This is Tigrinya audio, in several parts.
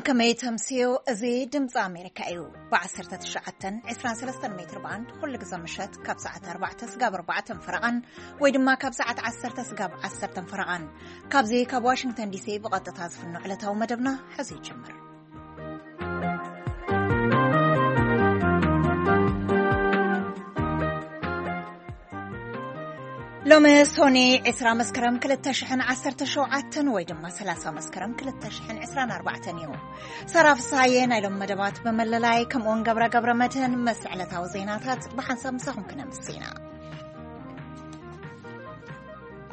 ከመይ ተምስዮ? እዚ ድምፂ ኣሜሪካ እዩ። ብ19 23 ሜትር ባንድ ኩሉ ግዜ ምሸት ካብ ሰዓት ኣርባዕተ ስጋብ ኣርባዕተን ፈረቓን ወይ ድማ ካብ ሰዓት ዓሰርተ ስጋብ ዓሰርተን ፈረቓን፣ ካብዚ ካብ ዋሽንግተን ዲሲ ብቐጥታ ዝፍኖ ዕለታዊ መደብና ሕዚ ይጅምር። ሎሚ ሶኒ ዕስራ መስከረም ክልተ ሽሕን ዓሰርተ ሸውዓተን ወይ ድማ ሰላሳ መስከረም ክልተ ሽሕን ዕስራን ኣርባዕተን እዩ። ሳራ ፍስሃየ ናይ ሎም መደባት ብምልላይ፣ ከምኡውን ገብረ ገብረ መድህን ምስ ዕለታዊ ዜናታት ብሓንሳብ ምሳኹም ክነምስ ኢና።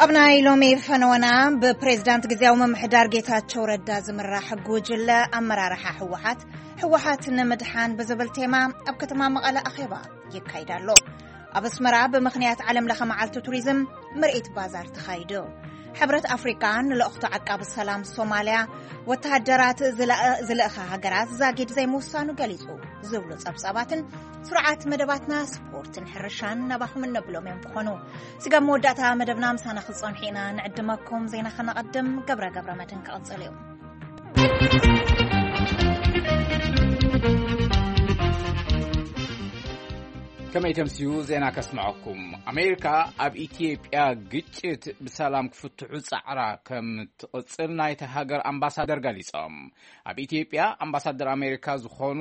ኣብ ናይ ሎሚ ፈነወና፣ ብፕሬዝዳንት ግዜያዊ ምምሕዳር ጌታቸው ረዳ ዝምራሕ ጉጅለ ኣመራርሓ ህወሓት፣ ህወሓት ንምድሓን ብዝብል ቴማ ኣብ ከተማ መቐለ ኣኼባ ይካይድ ኣሎ። ኣብ ኣስመራ ብምኽንያት ዓለም ለኸ መዓልቲ ቱሪዝም ምርኢት ባዛር ተኻይዱ። ሕብረት ኣፍሪቃ ንልእኽቶ ዓቃቢ ሰላም ሶማልያ ወተሃደራት ዝለእ-፣ ዝልእኻ ሃገራት ዛጊድ ዘይምውሳኑ ገሊጹ ዝብሉ ጸብጻባትን ስሩዓት መደባትና ስፖርትን ሕርሻን ናባኹም እነብሎም እዮም ክኾኑ። ስጋብ መወዳእታ መደብና ምሳና ክትጸንሑ ኢና ንዕድመኩም። ዜና ከነቐድም፣ ገብረ ገብረ መድህን ክቕጽል እዩ። ከመይ ተምስዩ ዜና ከስምዐኩም። ኣሜሪካ ኣብ ኢትዮጵያ ግጭት ብሰላም ክፍትሑ ጻዕራ ከም ትቕጽል ናይቲ ሃገር ኣምባሳደር ገሊጾም። ኣብ ኢትዮጵያ ኣምባሳደር ኣሜሪካ ዝኾኑ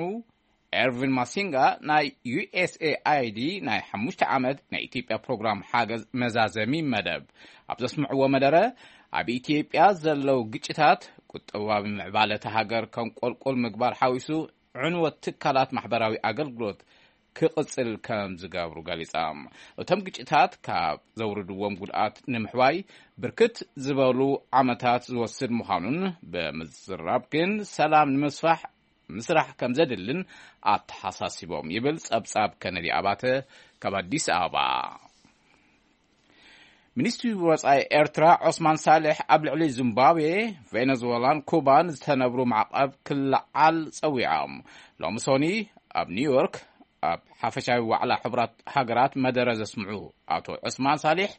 ኤርቪን ማሲንጋ ናይ ዩ ኤስ ኤ ኣይ ዲ ናይ ሓሙሽተ ዓመት ናይ ኢትዮጵያ ፕሮግራም ሓገዝ መዛዘሚ መደብ ኣብ ዘስምዕዎ መደረ፣ ኣብ ኢትዮጵያ ዘለዉ ግጭታት ቁጠባዊ ምዕባለ እታ ሃገር ከም ቆልቆል ምግባር ሓዊሱ ዕንወት ትካላት ማሕበራዊ ኣገልግሎት ክቕጽል ከም ዝገብሩ ገሊጻ። እቶም ግጭታት ካብ ዘውርድዎም ጉድኣት ንምሕዋይ ብርክት ዝበሉ ዓመታት ዝወስድ ምዃኑን ብምዝራብ ግን ሰላም ንምስፋሕ ምስራሕ ከም ዘድልን ኣተሓሳሲቦም ይብል ጸብጻብ ከነዲ ኣባተ ካብ ኣዲስ ኣበባ። ሚኒስትሪ ወጻኢ ኤርትራ ዖስማን ሳልሕ ኣብ ልዕሊ ዚምባብዌ፣ ቬነዙዌላን ኩባን ዝተነብሩ ማዕቐብ ክለዓል ጸዊዖም። ሎሚ ሶኒ ኣብ ኒውዮርክ ኣብ ሓፈሻዊ ዋዕላ ሕቡራት ሃገራት መደረ ዘስምዑ ኣቶ ዑስማን ሳሊሕ፣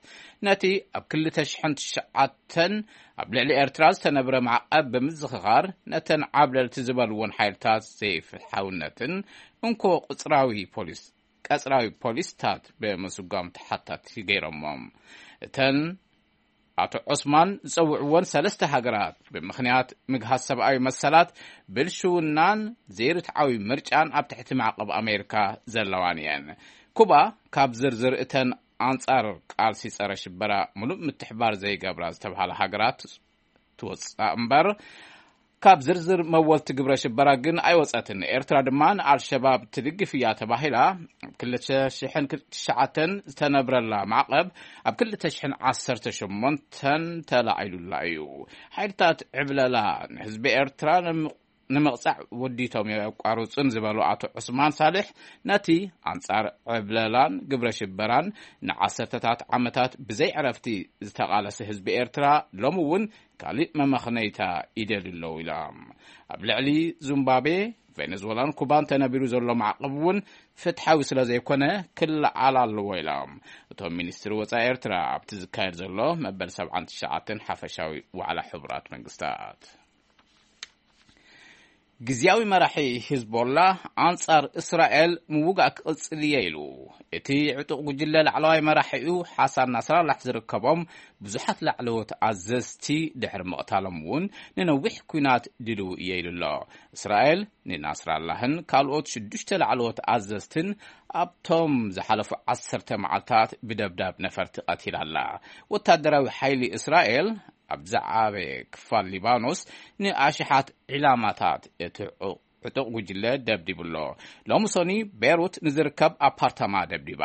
ነቲ ኣብ ክልተ ሽሕን ትሽዓተን ኣብ ልዕሊ ኤርትራ ዝተነብረ ማዕቐብ ብምዝኽኻር፣ ነተን ዓብለልቲ ዝበልዎን ሓይልታት ዘይፍትሓውነትን እንኮ ቁጽራዊ ፖሊስ ቀጽራዊ ፖሊስታት ብምስጓም ተሓታቲ ገይሮሞም። እተን ኣቶ ዑስማን ዝጸውዕወን ሰለስተ ሃገራት ብምኽንያት ምግሃስ ሰብኣዊ መሰላት፣ ብልሽውናን ዘይርትዓዊ ምርጫን ኣብ ትሕቲ ማዕቐብ ኣሜሪካ ዘለዋን እየን። ኩባ ካብ ዝርዝር እተን ኣንጻር ቃልሲ ጸረ ሽበራ ምሉእ ምትሕባር ዘይገብራ ዝተብሃላ ሃገራት ትወጽእ እምበር፣ ካብ ዝርዝር መወልቲ ግብረ ሽበራ ግን ኣይወጸትን። ኤርትራ ድማ ንኣልሸባብ ትድግፍ እያ ተባሂላ ኣብ ክልተ ሽሕን ትሽዓተን ዝተነብረላ ማዕቐብ ኣብ ክልተ ሽሕን ዓሰርተ ሸሞንተን ተላዒሉላ እዩ። ሓይልታት ዕብለላ ንህዝቢ ኤርትራ ንምቕጻዕ ወዲቶም የቋርጹን ዝበሉ ኣቶ ዑስማን ሳልሕ፣ ነቲ ኣንጻር ዕብለላን ግብረ ሽበራን ንዓሰርተታት ዓመታት ብዘይ ዕረፍቲ ዝተቓለሰ ህዝቢ ኤርትራ ሎሚ እውን ካልእ መመኽነይታ ይደልዩ ኣለዉ ኢሎም። ኣብ ልዕሊ ዚምባብዌ፣ ቬነዙዌላን ኩባን ተነቢሩ ዘሎ ማዕቐብ እውን ፍትሓዊ ስለ ዘይኮነ ክለዓል ኣለዎ ኢሎም። እቶም ሚኒስትሪ ወጻኢ ኤርትራ ኣብቲ ዝካየድ ዘሎ መበል ሰብዓን ትሽዓተን ሓፈሻዊ ዋዕላ ሕቡራት መንግስታት። ግዝያዊ መራሒ ሂዝቦላ ኣንጻር እስራኤል ምውጋእ ክቕጽል እየ ኢሉ። እቲ ዕጡቕ ጉጅለ ላዕለዋይ መራሒኡ ሓሳን ናስራላሕ ዝርከቦም ብዙሓት ላዕለዎት ኣዘዝቲ ድሕሪ ምቕታሎም እውን ንነዊሕ ኲናት ድልው እየ ኢሉ ኣሎ። እስራኤል ንናስራላህን ካልኦት ሽዱሽተ ላዕለዎት ኣዘዝትን ኣብቶም ዝሓለፉ ዓሰርተ መዓልታት ብደብዳብ ነፈርቲ ቀቲላ ኣላ። ወታደራዊ ሓይሊ እስራኤል ኣብ ዝዓበየ ክፋል ሊባኖስ ንኣሽሓት ዒላማታት እቲ ዕጡቕ ጉጅለ ደብዲቡ ኣሎ። ሎሚ ሶኒ ቤሩት ንዝርከብ ኣፓርታማ ደብዲባ።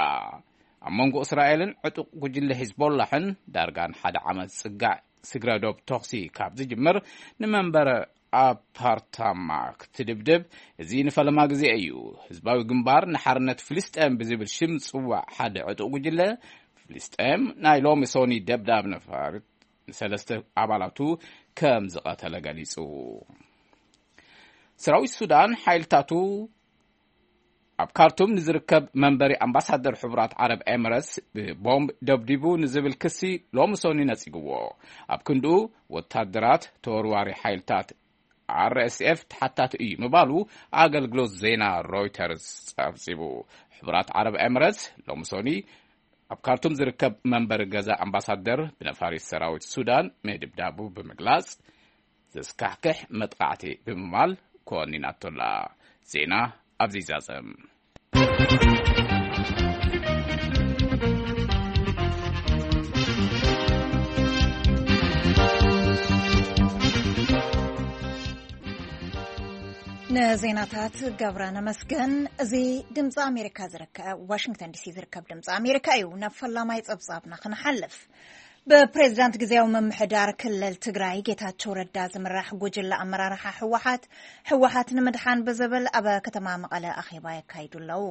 ኣብ መንጎ እስራኤልን ዕጡቕ ጉጅለ ሂዝቦላሕን ዳርጋ ንሓደ ዓመት ዝጽጋዕ ስግረ ዶብ ተኹሲ ካብ ዝጅምር፣ ንመንበሪ ኣፓርታማ ክትድብድብ እዚ ንፈለማ ግዜ እዩ። ህዝባዊ ግንባር ንሓርነት ፍልስጤም ብዝብል ሽም ዝጽዋዕ ሓደ ዕጡቕ ጉጅለ ፍልስጤም፣ ናይ ሎሚ ሶኒ ደብዳብ ነፋሪት ንሰለስተ ኣባላቱ ከም ዝቐተለ ገሊጹ። ሰራዊት ሱዳን ሓይልታቱ ኣብ ካርቱም ንዝርከብ መንበሪ ኣምባሳደር ሕቡራት ዓረብ ኤምረትስ ብቦምብ ደብዲቡ ንዝብል ክሲ ሎሚ ሶኒ ነጺግዎ። ኣብ ክንድኡ፣ ወታደራት ተወርዋሪ ሓይልታት ኣር ኤስ ኤፍ ተሓታቲ እዩ ምባሉ ኣገልግሎት ዜና ሮይተርስ ጸብጺቡ። ሕቡራት ዓረብ ኤምረትስ ሎሚ ሶኒ ኣብ ካርቱም ዝርከብ መንበሪ ገዛ ኣምባሳደር ብነፋሪት ሰራዊት ሱዳን ምድብዳቡ ብምግላጽ፣ ዘስካሕክሕ መጥቃዕቲ ብምባል ኮኒናቶላ። ዜና ኣብዚ ይዛዘም። ንዜናታት ገብረ ነመስገን። እዚ ድምፂ ኣሜሪካ ዝርከብ፣ ዋሽንግተን ዲሲ ዝርከብ ድምፂ ኣሜሪካ እዩ። ናብ ፈላማይ ፀብፃብና ክንሓልፍ፣ ብፕሬዝዳንት ግዜያዊ ምምሕዳር ክልል ትግራይ ጌታቸው ረዳ ዝምራሕ ጉጅለ ኣመራርሓ ህወሓት፣ ህወሓት ንምድሓን ብዝብል ኣብ ከተማ መቐለ ኣኼባ የካይዱ ኣለዉ።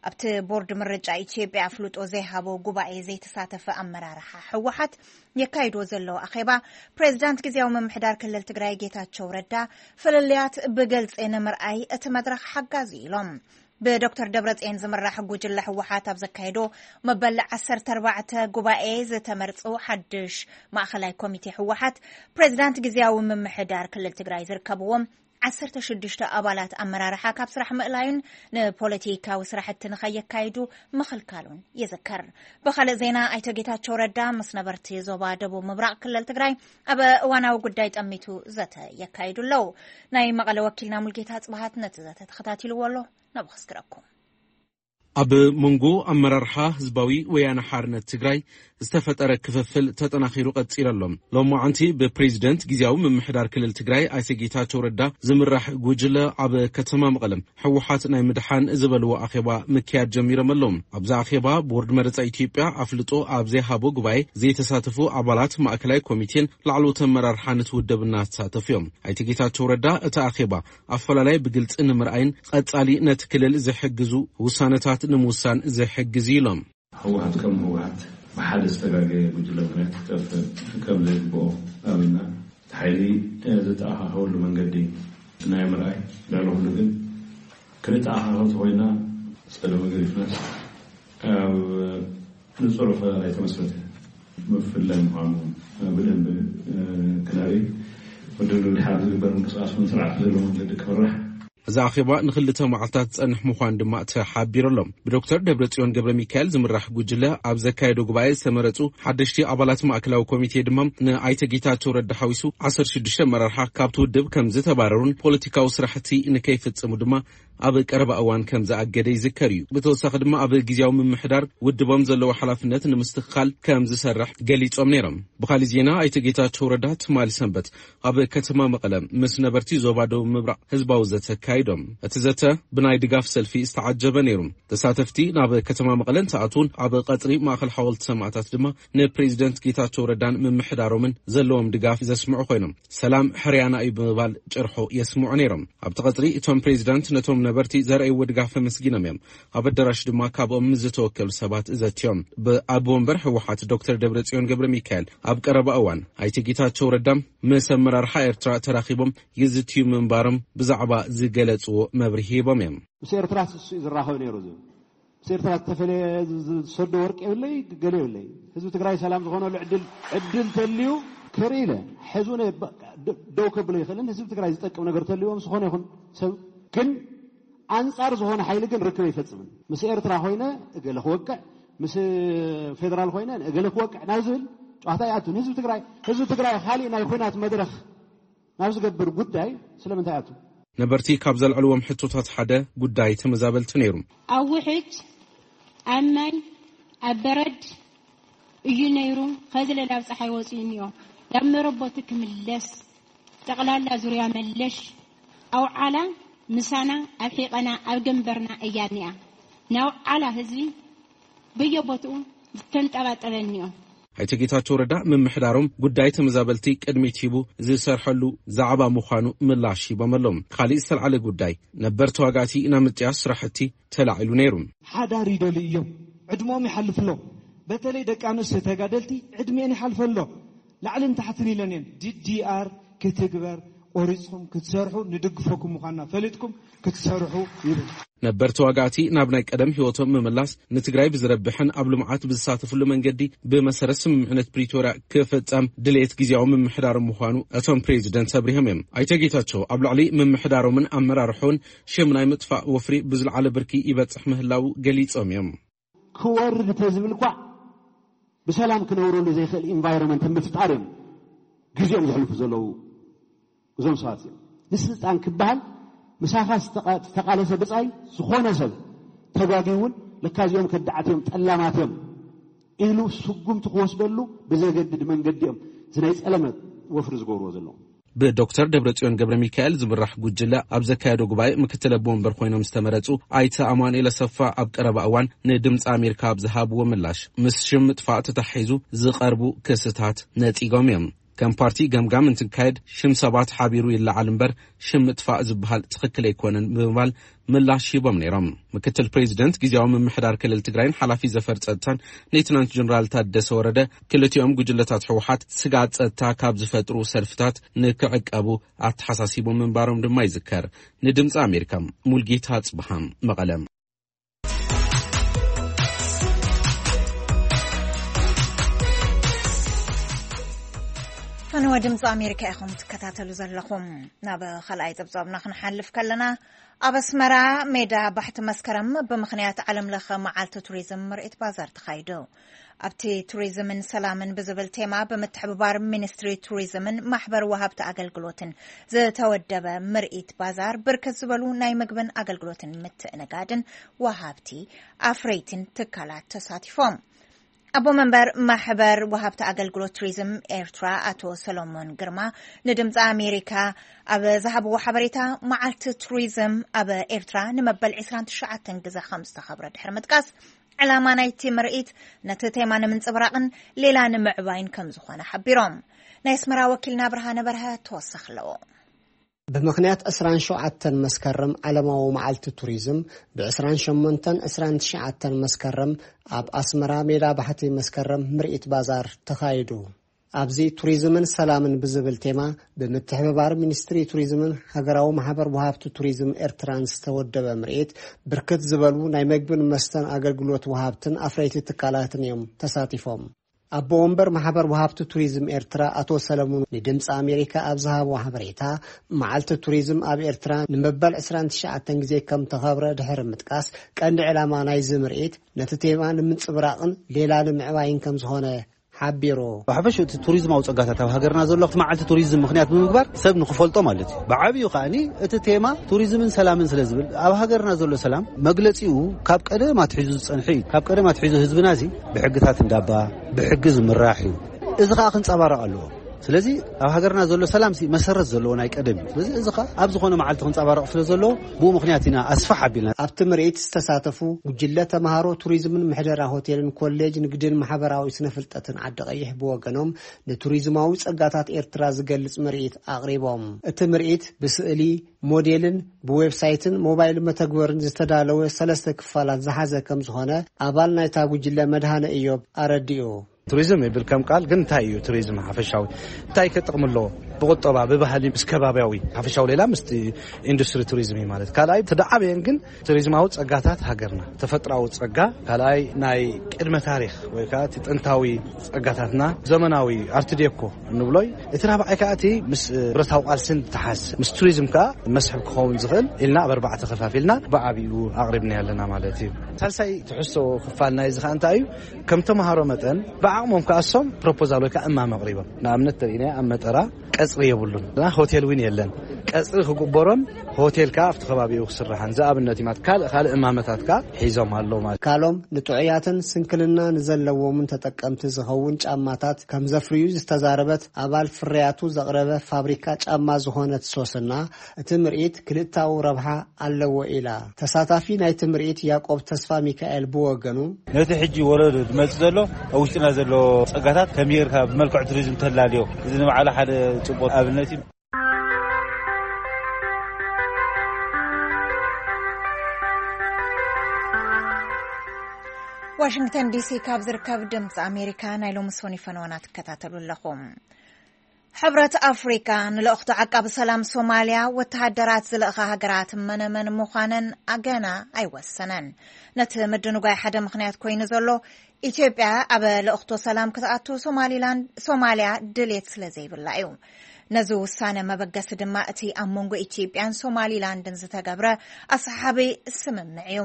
ኣብቲ ቦርድ ምርጫ ኢትዮጵያ ኣፍልጦ ዘይሃቦ ጉባኤ ዘይተሳተፈ ኣመራርሓ ህወሓት የካይድዎ ዘለዉ ኣኼባ፣ ፕሬዝዳንት ግዜያዊ ምምሕዳር ክልል ትግራይ ጌታቸው ረዳ ፍልልያት ብግልፂ ንምርኣይ እቲ መድረኽ ሓጋዚ ኢሎም። ብዶክተር ደብረጽዮን ዝምራሕ ጉጅለ ህወሓት ኣብ ዘካየዶ መበል ዓሰርተ ኣርባዕተ ጉባኤ ዝተመርጹ ሓድሽ ማእኸላይ ኮሚቴ ህወሓት፣ ፕሬዝዳንት ግዜያዊ ምምሕዳር ክልል ትግራይ ዝርከብዎም ዓሰርተ ሽዱሽተ ኣባላት ኣመራርሓ ካብ ስራሕ ምእላዩን ንፖለቲካዊ ስራሕቲ ንኸየካይዱ ምኽልካሉን ይዝከር። ብኻልእ ዜና፣ ኣይተ ጌታቸው ረዳ ምስ ነበርቲ ዞባ ደቡብ ምብራቕ ክልል ትግራይ ኣብ እዋናዊ ጉዳይ ጠሚቱ ዘተ የካይዱ ኣለዉ። ናይ መቐለ ወኪልና ሙልጌታ ጽባሃት ነቲ ዘተ ተኸታቲልዎ ኣሎ። ናብ ክስክረኩም። ኣብ መንጎ ኣመራርሓ ህዝባዊ ወያነ ሓርነት ትግራይ ዝተፈጠረ ክፍፍል ተጠናኺሩ ቀጺሉ ኣሎ። ሎማዓንቲ ብፕሬዚደንት ግዜያዊ ምምሕዳር ክልል ትግራይ ኣይተ ጌታቸው ረዳ ዝምራሕ ጉጅለ ኣብ ከተማ መቐለ ህወሓት ናይ ምድሓን ዝበልዎ ኣኼባ ምክያድ ጀሚሮም ኣለዉ። ኣብዚ ኣኼባ ቦርድ መረፃ ኢትዮጵያ ኣፍልጦ ኣብ ዘይሃቦ ጉባኤ ዘይተሳተፉ ኣባላት ማእከላይ ኮሚቴን ላዕለዎት ኣመራርሓ ነቲ ውድብ እናተሳተፉ እዮም። ኣይተ ጌታቸው ረዳ እቲ ኣኼባ ኣፈላላይ ብግልፂ ንምርኣይን ቀፃሊ ነቲ ክልል ዝሕግዙ ውሳነታት ንምውሳን ዝሕግዝ እዩ ኢሎም። ህወሓት ከም ህወሓት ብሓደ ዝተጋገየ ጉጅለ ምኽንያት ክጠፍእ ከም ዘይግብኦ ኣሚንና፣ እቲ ሓይሊ ዝተኣኻኸበሉ መንገዲ ናይ ምርኣይ፣ ልዕሊ ኩሉ ግን ክንተኣኻኸብ ተኾይንና ጸለመ ገዲፍናስ ኣብ ንጹር ኣፈላላይ ተመስረተ ምፍላይ ምዃኑ ብደንቢ ክነርኢ፣ ወዲ ድሓር ዝግበር ምንቅስቃስ እውን ስርዓት ዘለዎ መንገዲ ክምራሕ። እዚ ኣኼባ ንኽልተ መዓልታት ዝጸንሕ ምዃኑ ድማ ተሓቢሩ ኣሎ። ብዶክተር ደብረጽዮን ገብረ ሚካኤል ዝምራሕ ጉጅለ ኣብ ዘካየዶ ጉባኤ ዝተመረጹ ሓደሽቲ ኣባላት ማእከላዊ ኮሚቴ ድማ ንኣይተ ጌታቸው ረዳ ሓዊሱ ዓሰርተ ሽዱሽተ ኣመራርሓ ካብቲ ውድብ ከም ዝተባረሩን ፖለቲካዊ ስራሕቲ ንከይፍጽሙ ድማ ኣብ ቀረባ እዋን ከም ዝኣገደ ይዝከር እዩ። ብተወሳኺ ድማ ኣብ ግዜያዊ ምምሕዳር ውድቦም ዘለዎ ሓላፍነት ንምስትኽኻል ከም ዝሰርሕ ገሊጾም ነይሮም። ብኻልእ ዜና ኣይተ ጌታቸው ረዳ ትማሊ ሰንበት ኣብ ከተማ መቐለ ምስ ነበርቲ ዞባ ደቡብ ምብራቕ ህዝባዊ ዘተ ኣካይዶም። እቲ ዘተ ብናይ ድጋፍ ሰልፊ ዝተዓጀበ ነይሩ። ተሳተፍቲ ናብ ከተማ መቐለ እንትኣትዉን ኣብ ቀጽሪ ማእከል ሓወልቲ ሰማእታት ድማ ንፕሬዚደንት ጌታቸው ረዳን ምምሕዳሮምን ዘለዎም ድጋፍ ዘስምዑ ኮይኖም፣ ሰላም ሕርያና እዩ ብምባል ጭርሖ የስምዑ ነይሮም። ኣብቲ ቀጽሪ እቶም ፕሬዚዳንት ነቶም ነበርቲ ዘርኣይዎ ድጋፍ ኣመስጊኖም እዮም። ኣብ ኣዳራሽ ድማ ካብኦም ምስ ዝተወከሉ ሰባት ዘትዮም። ብኣቦ ወንበር ህወሓት ዶክተር ደብረጽዮን ገብረ ሚካኤል ኣብ ቀረባ እዋን ኣይተ ጌታቸው ረዳም ምስ ኣመራርሓ ኤርትራ ተራኺቦም ይዝትዩ ምንባሮም ብዛዕባ ዝገለጽዎ መብርሂ ሂቦም እዮም። ምስ ኤርትራ ስሱ እዩ ዝራኸብ ነይሩ ዝብል። ምስ ኤርትራ ዝተፈለየ ዝ-፣ ዝ-፣ ዝሰዶ ወርቂ የብለይ፣ ገለ የብለይ። ህዝቢ ትግራይ ሰላም ዝኾነሉ ዕድል፣ ዕድል ተልዩ ክርኢ ኢለ። ሕዚ እውን በቃ ደ-፣ ደው ከብሎ ይኽእልን ህዝቢ ትግራይ ዝጠቅም ነገር ተልዩ ምስ ዝኾነ ይኹን ሰብ ግን ኣንጻር ዝኾነ ሓይሊ ግን ርክብ ኣይፈጽምን። ምስ ኤርትራ ኮይነ እገለ ክወቅዕ፣ ምስ ፌደራል ኮይነ እገለ ክወቅዕ ናብ ዝብል ጨዋታ ይኣቱ። ህዝቢ ትግራይ፣ ህዝቢ ትግራይ ካሊእ ናይ ኹናት መድረኽ ናብ ዝገብር ጉዳይ ስለምንታይ ኣቱ? ነበርቲ ካብ ዘልዕልዎም ሕቶታት ሓደ ጉዳይ ተመዛበልቲ ነይሩ። ኣብ ውሕጅ፣ ኣብ ማይ፣ ኣብ በረድ እዩ ነይሩ። ኸዚ ለላብ ፀሓይ ወፂኡ እኒኦ። ናብ መረቦቱ ክምለስ፣ ጠቕላላ ዙርያ መለሽ ኣውዓላ ምሳና ኣብ ሒቐና ኣብ ገንበርና እያ እኒኣ። ናውዓላ ህዝቢ በየቦትኡ ዝተንጠባጠበ እኒኦ። ኣይተ ጌታቸው ረዳ ምምሕዳሮም ጉዳይ ተመዛበልቲ ቅድሚት ሂቡ ዝሰርሐሉ ዛዕባ ምዃኑ ምላሽ ሂቦም ኣለዉ። ካሊእ ዝተልዓለ ጉዳይ ነበር ተዋጋእቲ ናብ ምጥያስ ስራሕቲ ተላዒሉ ነይሩ። ሓዳር ይደልዩ እዮም። ዕድመኦም ይሓልፍ ኣሎ። በተለይ ደቂ ኣንስትዮ ተጋደልቲ ዕድሜን ይሓልፈ ኣሎ። ላዕልን ታሕትን ኢለን እየን። ዲ ዲ ኣር ክትግበር፣ ቆሪፅኩም ክትሰርሑ ንድግፈኩም ምዃንና ፈሊጥኩም ክትሰርሑ ይብል። ነበር ተዋጋእቲ ናብ ናይ ቀደም ህይወቶም ምምላስ ንትግራይ ብዝረብሕን ኣብ ልምዓት ብዝሳተፍሉ መንገዲ ብመሰረት ስምምዕነት ፕሪቶርያ ክፍጸም ድሌት ግዜያዊ ምምሕዳር ምዃኑ እቶም ፕሬዚደንት ኣብሪሆም እዮም። ኣይተ ጌታቸው ኣብ ልዕሊ ምምሕዳሮምን ኣመራርሖን ሽም ናይ ምጥፋእ ወፍሪ ብዝለዓለ ብርኪ ይበጽሕ ምህላው ገሊጾም እዮም። ክወርድ ተዝብል እኳ ብሰላም ክነብረሉ ዘይክእል ኢንቫይሮንመንት ምፍጣር እዮም ግዜኦም ዘሕልፉ ዘለዉ። እዞም ሰባት እዮም ንስልጣን ክበሃል ምሳኻ ዝተቃለሰ ብፃይ ዝኾነ ሰብ ተጋጊ እውን ለካ እዚኦም ከዳዓት እዮም ጠላማት እዮም ኢሉ ስጉምቲ ክወስደሉ ብዘገድድ መንገዲ እዮም እዚ ናይ ፀለመ ወፍሪ ዝገብርዎ ዘለዉ። ብዶክተር ደብረጽዮን ገብረ ሚካኤል ዝምራሕ ጉጅለ ኣብ ዘካየዶ ጉባኤ ምክትል ኣቦ ወንበር ኮይኖም ዝተመረጹ ኣይተ ኣማኑኤል ኣሰፋ ኣብ ቀረባ እዋን ንድምፂ ኣሜሪካ ኣብ ዝሃብዎ ምላሽ ምስ ሽም ምጥፋእ ተታሒዙ ዝቐርቡ ክስታት ነጺጎም እዮም። ከም ፓርቲ ገምጋም እንትካየድ ሽም ሰባት ሓቢሩ ይለዓል እምበር ሽም ምጥፋእ ዝበሃል ትኽክል ኣይኮነን ብምባል ምላሽ ሂቦም ነይሮም። ምክትል ፕሬዚደንት ግዜያዊ ምምሕዳር ክልል ትግራይን ሓላፊ ዘፈር ጸጥታን ሌትናንት ጀነራል ታደሰ ወረደ ክልቲኦም ጉጅለታት ህወሓት ስግኣት ጸጥታ ካብ ዝፈጥሩ ሰልፍታት ንክዕቀቡ ኣተሓሳሲቦም ምንባሮም ድማ ይዝከር። ንድምፂ ኣሜሪካ ሙልጌታ ኣጽብሃ መቐለ። ፈነወ ድምፂ ኣሜሪካ ኢኹም ትከታተሉ ዘለኹም። ናብ ካልኣይ ፀብፃብና ክንሓልፍ ከለና ኣብ ኣስመራ ሜዳ ባሕቲ መስከረም ብምኽንያት ዓለም ለኸ መዓልቲ ቱሪዝም ምርኢት ባዛር ተኻይዱ። ኣብቲ ቱሪዝምን ሰላምን ብዝብል ቴማ ብምትሕብባር ሚኒስትሪ ቱሪዝምን ማሕበር ወሃብቲ ኣገልግሎትን ዝተወደበ ምርኢት ባዛር ብርክት ዝበሉ ናይ ምግብን ኣገልግሎትን ምትእንጋድን ወሃብቲ ኣፍረይትን ትካላት ተሳቲፎም። ኣቦ መንበር ማሕበር ወሃብቲ ኣገልግሎት ቱሪዝም ኤርትራ ኣቶ ሰሎሞን ግርማ ንድምፂ ኣሜሪካ ኣብ ዝሃብዎ ሓበሬታ መዓልቲ ቱሪዝም ኣብ ኤርትራ ንመበል ዕስራን ትሽዓተን ግዘ ከም ዝተኸብረ ድሕሪ ምጥቃስ ዕላማ ናይቲ ምርኢት ነቲ ቴማ ንምንፅብራቕን ሌላ ንምዕባይን ከም ዝኾነ ሓቢሮም። ናይ ኣስመራ ወኪልና ብርሃነ በርሀ ተወሳኺ ኣለዎ። ብምኽንያት ዕስራን ሸውዓተን መስከረም ዓለማዊ መዓልቲ ቱሪዝም ብ ዕስራን ሸሞንተን ዕስራን ትሽዓተን መስከረም ኣብ ኣስመራ ሜዳ ባሕቲ መስከረም ምርኢት ባዛር ተኻይዱ። ኣብዚ ቱሪዝምን ሰላምን ብዝብል ቴማ ብምትሕብባር ሚኒስትሪ ቱሪዝምን ሃገራዊ ማሕበር ወሃብቲ ቱሪዝም ኤርትራን ዝተወደበ ምርኢት ብርክት ዝበሉ ናይ መግብን መስተን ኣገልግሎት ወሃብትን ኣፍረይቲ ትካላትን እዮም ተሳቲፎም። ኣቦ ወንበር ማሕበር ወሃብቲ ቱሪዝም ኤርትራ ኣቶ ሰለሙን ንድምፂ ኣሜሪካ ኣብ ዝሃብዎ ሓበሬታ፣ መዓልቲ ቱሪዝም ኣብ ኤርትራ ንመበል ዕስራን ትሽዓተን ግዜ ከም ተኸብረ ድሕሪ ምጥቃስ፣ ቀንዲ ዕላማ ናይዚ ምርኢት ነቲ ቴማ ንምንፅብራቕን ሌላ ንምዕባይን ከም ዝኾነ ሓቢሩ። ብሓፈሽኡ እቲ ቱሪዝማዊ ፀጋታት ኣብ ሃገርና ዘሎ እቲ መዓልቲ ቱሪዝም ምኽንያት ብምግባር ሰብ ንክፈልጦ ማለት እዩ። ብዓብዩ ከዓኒ እቲ ቴማ ቱሪዝምን ሰላምን ስለ ዝብል ኣብ ሃገርና ዘሎ ሰላም መግለፂኡ ካብ ቀደም ኣትሒዙ ዝፀንሐ እዩ። ካብ ቀደም ኣትሒዙ ህዝብና እዚ ብሕግታት እንዳባ ብሕጊ ዝምራሕ እዩ። እዚ ከዓ ክንፀባረቕ ኣለዎ። ስለዚ ኣብ ሃገርና ዘሎ ሰላም ሲ መሰረት ዘለዎ ናይ ቀደም እዩ። ስለዚ እዚ ከዓ ኣብ ዝኾነ መዓልቲ ክንፀባረቕ ስለ ዘለዎ ብኡ ምኽንያት ኢና ኣስፋሕ ኣቢልና። ኣብቲ ምርኢት ዝተሳተፉ ጉጅለ ተምሃሮ ቱሪዝምን ምሕደራ ሆቴልን ኮሌጅ ንግድን ማሕበራዊ ስነ ፍልጠትን ዓዲ ቀይሕ ብወገኖም ንቱሪዝማዊ ጸጋታት ኤርትራ ዝገልጽ ምርኢት ኣቕሪቦም። እቲ ምርኢት ብስእሊ፣ ሞዴልን ብዌብሳይትን ሞባይል መተግበርን ዝተዳለወ ሰለስተ ክፋላት ዝሓዘ ከም ዝኾነ ኣባል ናይታ ጉጅለ መድሃነ እዮብ ኣረዲኡ። ቱሪዝም ይብል ከም ቃል ግን እንታይ እዩ ቱሪዝም ሓፈሻዊ እንታይ ከጥቕሚ ኣለዎ? ብቁጠባ፣ ብባህሊ፣ ምስ ከባቢያዊ ሓፈሻዊ ሌላ ምስቲ ኢንዱስትሪ ቱሪዝም እዩ ማለት። ካልኣይ እቲ ደዓበየን ግን ቱሪዝማዊ ጸጋታት ሃገርና፣ ተፈጥራዊ ጸጋ፣ ካልኣይ ናይ ቅድመ ታሪኽ ወይ ከዓ እቲ ጥንታዊ ጸጋታትና፣ ዘመናዊ ኣርት ዴኮ እንብሎ እዩ። እቲ ራብዓይ ከዓ እቲ ምስ ብረታዊ ቃልስን ተሓዝ ምስ ቱሪዝም ከዓ መስሕብ ክኸውን ዝኽእል ኢልና ኣብ ኣርባዕተ ከፋፊልና ብዓብዩ ኣቕሪብና ኣለና ማለት እዩ። ሳልሳይ ትሕዝቶ ክፋል ናይዚ ከዓ እንታይ እዩ? ከም ተምሃሮ መጠን ብዓቕሞም ከዓ እሶም ፕሮፖዛል ወይ ከዓ እማም ኣቕሪቦም ንኣብነት ተሪኢናዮ ኣብ መጠራ ቀፅሪ የብሉን ና ሆቴል እውን የለን ቀፅሪ ክግበሮን ሆቴል ከዓ ኣብቲ ከባቢኡ ክስራሕን ዝኣብነት እዩ ማለት ካልእ ካልእ እማመታት ከዓ ሒዞም ኣለዉ ማለት ካሎም ንጥዑያትን ስንክልና ንዘለዎምን ተጠቀምቲ ዝኸውን ጫማታት ከም ዘፍርዩ ዝተዛረበት ኣባል ፍርያቱ ዘቕረበ ፋብሪካ ጫማ ዝኾነት ሶስና እቲ ምርኢት ክልታዊ ረብሓ ኣለዎ ኢላ። ተሳታፊ ናይቲ ምርኢት ያቆብ ተስፋ ሚካኤል ብወገኑ፣ ነቲ ሕጂ ወለዶ ዝመጽእ ዘሎ ኣብ ውሽጥና ዘሎ ጸጋታት ከመይ ጌርካ ብመልክዕ ቱሪዝም ተላልዮ፣ እዚ ንባዕሉ ሓደ ጽቡቕ ኣብነት እዩ። ዋሽንግተን ዲሲ ካብ ዝርከብ ድምፂ ኣሜሪካ ናይ ሎሚ ሶኒ ፈነወና ትከታተሉ ኣለኹም። ሕብረት ኣፍሪካ ንልእኽቶ ዓቃቢ ሰላም ሶማልያ ወተሃደራት ዝልእኻ ሃገራት መነመን ምዃነን ኣገና ኣይወሰነን። ነቲ ምድንጓይ ሓደ ምኽንያት ኮይኑ ዘሎ፣ ኢትዮጵያ ኣብ ልእኽቶ ሰላም ክትኣቱ ሶማሊላንድ ሶማልያ ድሌት ስለ ዘይብላ እዩ። ነዚ ውሳነ መበገሲ ድማ እቲ ኣብ መንጎ ኢትዮጵያን ሶማሊላንድን ዝተገብረ ኣሰሓቢ ስምምዕ እዩ።